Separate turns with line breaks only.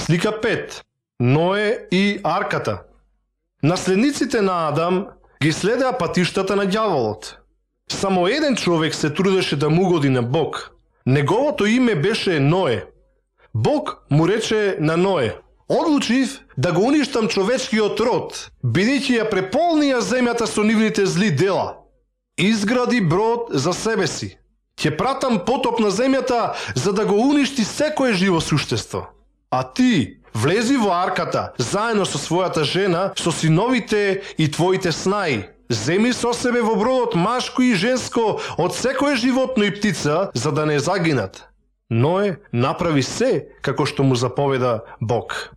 Слика 5. Ное и арката. Наследниците на Адам ги следеа патиштата на ѓаволот. Само еден човек се трудеше да му угоди на Бог. Неговото име беше Ное. Бог му рече на Ное: одлучив да го уништам човечкиот род, бидејќи ја преполнија земјата со нивните зли дела. Изгради брод за себе си. Ќе пратам потоп на земјата за да го уништи секое живо суштество. А ти влези во арката заедно со својата жена, со синовите и твоите снаи. Земи со себе во бродот машко и женско од секое животно и птица, за да не загинат. Ное направи се како што му заповеда Бог.